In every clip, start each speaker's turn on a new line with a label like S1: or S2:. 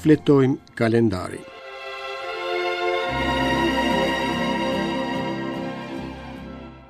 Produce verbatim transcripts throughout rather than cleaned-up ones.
S1: Shfletojmë kalendarin.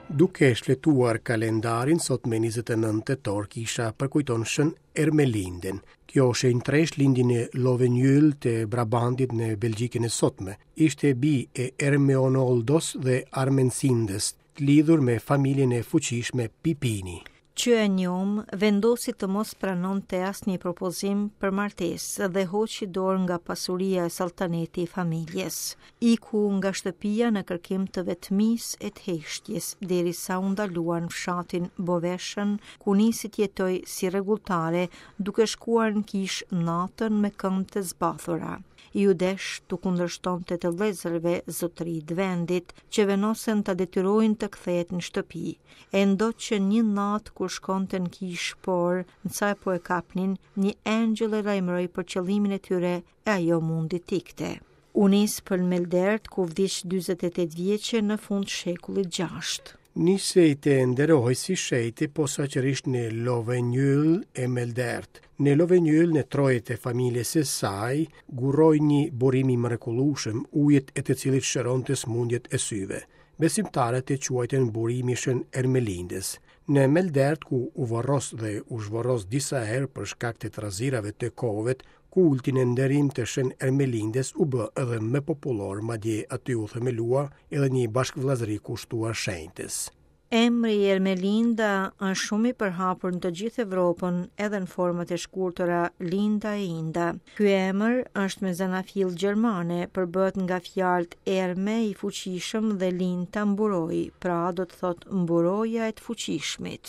S1: Duke shfletuar kalendarin, sot me njëzet e nëntë tetor kisha përkujton Shën Ermelindën. Kjo shenjtëreshë lindi në Lovenjyll të Brabandit në Belgjikën e sotme. Ishte bijë e Ermeonoldos dhe Armensindës, të lidhur me familjen e fuqishme Pipini.
S2: Që e njomë, vendosi të mos pranonte asnjë propozim për martesë dhe hoqi dorë nga pasuria e saltaneti i familjes. Iku nga shtëpia në kërkim të vetmisë e të heshtjes, derisa u ndalua në fshatin Boveshën, ku nisi të jetojë si rregulltare, duke shkuar në kishë natën me këmbë të zbathura. Iu desh t'u kundërshtonte të vëllezërve zotëri të vendit, që vendosen ta detyrojnë të kthehet në shtëpi. E ndoqën një natë kur shkonte në kishë, por në sa po e kapnin, një engjëll e lajmëroi për qëllimin e tyre e ajo mundi t'ikte. U nis për Meldert, ku vdiq dyzet e tetë vjeçe në fund shekullit gjashtë.
S1: Nisej të nderohej si shenjte posaçërisht në Lovenjyll e Meldert. Në Lovenjyll, në trojet e familjes së saj, gurroi një burim i mrekullueshëm, ujët e të cilit shëronte sëmundjet e syve. Besimtarët e quajtën burimi Shën Ermelindës. Në Meldert, ku u varros dhe u zhvarros disa herë për shkak të trazirave të kohëve, kulti në nderim të Shën Ermelindës u bë edhe më popullor, madje aty u themelua edhe një bashkëvllazëri kushtuar shenjtës.
S2: Emri Ermelinda është shumë i përhapur në të gjithë Evropën, edhe në format e shkurtëra Linda e Inda. Ky emër është me zanafillë gjermane, përbëhet nga fjalët Erme i fuqishëm dhe Linda mburoj, pra do të thotë mburoja e të fuqishmit.